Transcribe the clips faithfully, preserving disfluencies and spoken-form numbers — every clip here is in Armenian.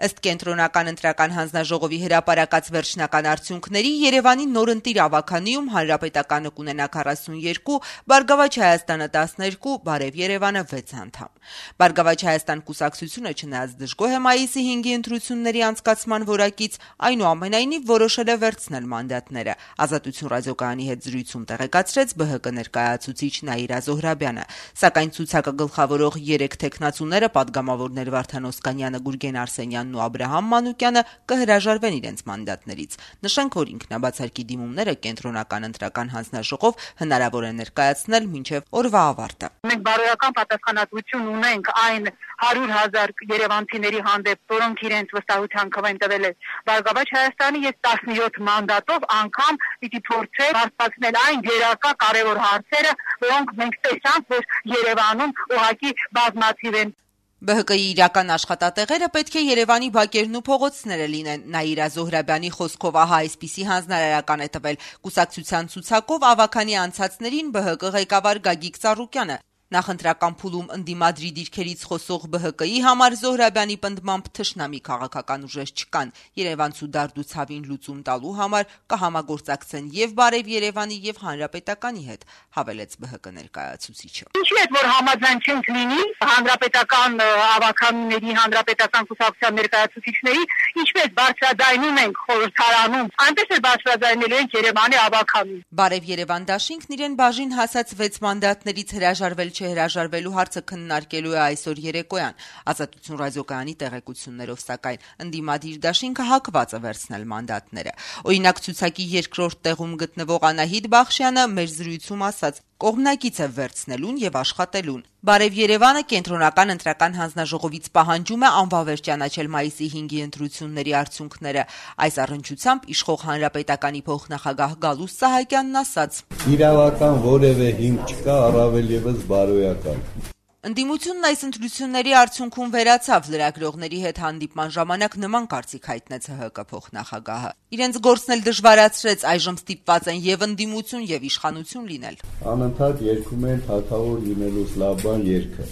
Ըստ կենտրոնական ընտրական հանձնաժողովի հրապարակած վերջնական արդյունքների Երևանի նորընտիր ավականիում Հանրապետականը կունենա քառասունյոթ, Բարգավաճ Հայաստանը տասներկու, Բարև Երևանը վեց անդամ։ Բարգավաճ Հայաստան կուսակցությունը չնայած դժգոհ է մայիսի հինգի ընտրությունների անցկացման որակից, այնուամենայնիվ որոշել է վերցնել մանդատները։ Ազատություն ռադիոկայանի հետ զրույցում տեղեկացրեց ԲՀԿ ներկայացուցիչ Նաիրա Զոհրաբյանը, սակայն ցուցակը գլխավորող երեք թեկնածուները պատգամավորներ Վարդան Օսկանյանը, Գուրգեն Արսենյանն ու Աբրահամ Մանուկյանը կհրաժարվեն իրենց մանդատներից։ Նշենք, որ ինքնաբացարկի դիմումները կենտրոնական ընտրական հանձնաժողով հնարավոր է ներկայացնել մինչև օրվա ավարտը։ Մենք բարոյական պատասխանատվություն ունենք այն հարյուր հազար երևանցիների հանդեպ, որոնք իրենց վստահության քվեն տվել են Բարգավաճ Հայաստանի, ես տասնյոթ մանդատով անգամ պիտի փորձեմ բարձրացնել այն գերակա կարևոր հարցերը, որոնք մենք տեսանք, որ Երևանում ուղղակի բազմաթիվ են։ ԲՀԿ-ի իրական աշխատատեղերը պետք է Երևանի բակերն ու փողոցները լինեն։ Նաիրա Զոհրաբյանի խոսքով ահա այսպիսի հանձնարարական է տվել կուսակցության ցուցակով ավականի անցածներին ԲՀԿ ղեկավար Գագիկ Ծառուկյանը։ Նախընտրական փուլում ընդդիմադրի դիրքերից խոսող ԲՀԿ-ի համար Զոհրաբյանի պնդմամբ թշնամի քաղաքական ուժեր չկան։ Երևանցու դարդու ցավին լուծում տալու համար կհամագործակցեն եւ Բարև Երևանի եւ Հանրապետականի հետ, հավելեց ԲՀԿ ներկայացուցիչը։ Ինչի՞ է որ համաձայնենք լինի հանրապետական ավականների, հանրապետական կուսակցության ներկայացուցիչների, ինչպես բարձրաձայնում ենք խորհրդարանում, այնպես էլ բարձրաձայնելու ենք Երևանի ավականին։ Բարև Երևան դաշինքն իրեն բաժին հասած վեց մանդատներից հրաժարվել չհրաժարվելու հարցը քննարկելու է այսօր երեկոյան։ Ազատություն ռադիոկայանի տեղեկություններով, սակայն ընդդիմադիր դաշինքը հակված է վերցնել մանդատները։ Օրինակ, ցուցակի երկրորդ տեղում գտնվող Անահիտ Բախշյանը մեր զրույցում ասաց. կողմնակից է վերցնելուն եւ աշխատելուն։ Բարև Երևանը կենտրոնական ընտրական հանձնաժողովից պահանջում է անվավեր ճանաչել մայիսի հինգի ընտրությունների արդյունքները։ Այս առնչությամբ իշխող Հանրապետականի փոխնախագահ Գալուստ Սահակյանն ասաց. Իրավական որևէ հիմք չկա, առավել եւս բարոյական։ Ընդդիմությունն այս ընտրությունների արդյունքում վերացավ, լրագրողների հետ հանդիպման ժամանակ նման կարծիք հայտնեց ՀՀԿ փոխնախագահը։ Իրենց գործն էլ դժվարացրեց, այժմ ստիպված են եւ ընդդիմություն եւ իշխանություն լինել։ Անընդհատ երգում են թագավոր լինելու սլավբան երգը,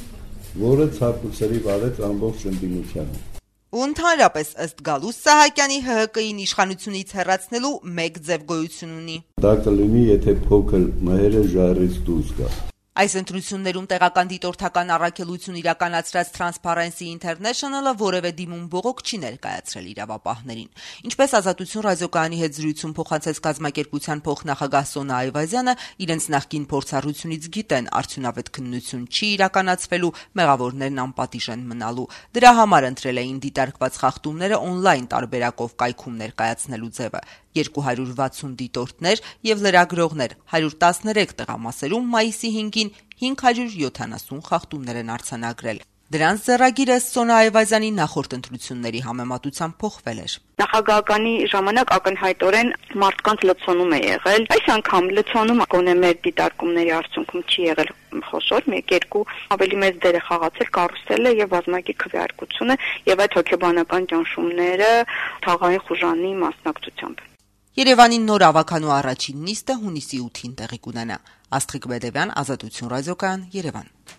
որը ցավուցրի վարեց ամբողջ ընդդիմությանը։ Ու ընդհանրապես ըստ Գալուստ Սահակյանի ՀՀԿ-ին իշխանությունից հեռացնելու մեկ ձև գոյություն ունի։ Դա կլինի, եթե փոքր մհերը ժայռից դուրս գա։ Այս ընտրություններում տեղական դիտորդական առաքելություն իրականացրած Transparency International-ը որևէ դիմում բողոք չի ներկայացրել իրավապահներին։ Ինչպես Ազատություն ռադիոկայանի հետ զրույցում փոխանցեց կազմակերպության փոխնախագահ Սոնա Այվազյանը, իրենց նախկին փորձառությունից գիտեն արդյունավետ քննություն չի իրականացվելու, մեղավորներն անպատիժ են մնալու։ Դրա համար ընտրել էին դիտարկված խախտումները օնլայն տարբերակով կայքում ներկայացնելու ձևը։ երկու հարյուր վաթսուն դիտորդներ եւ լրագրողներ հարյուր տասներեք տեղամասերում մայիսի հինգին հինգ հարյուր յոթանասուն խախտումներ են արձանագրել։ Դրանց ձեռագիրը Սոնա Այվազյանի նախորդ ընտրությունների համեմատությամբ փոխվել էր։ Նախագահականի ժամանակ ակնհայտորեն մարդկանց լցոնում է եղել։ Այս անգամ լցոնումը գոնե մեր դիտարկումների արդյունքում չի եղել խոշոր, մեկ-երկու ավելի մեծ դեր է խաղացել կարուսելը եւ բազմակի քվեարկությունը եւ այդ հոգեբանական ճնշումները թաղային խուժանի մասնակցությամբ։ Երևանի նոր ավականու առաջին նիստը հունիսի ութին տեղի կունենա։ Աստղիկ Բեդևյան, Ազատություն ռադիոկայան, Երևան։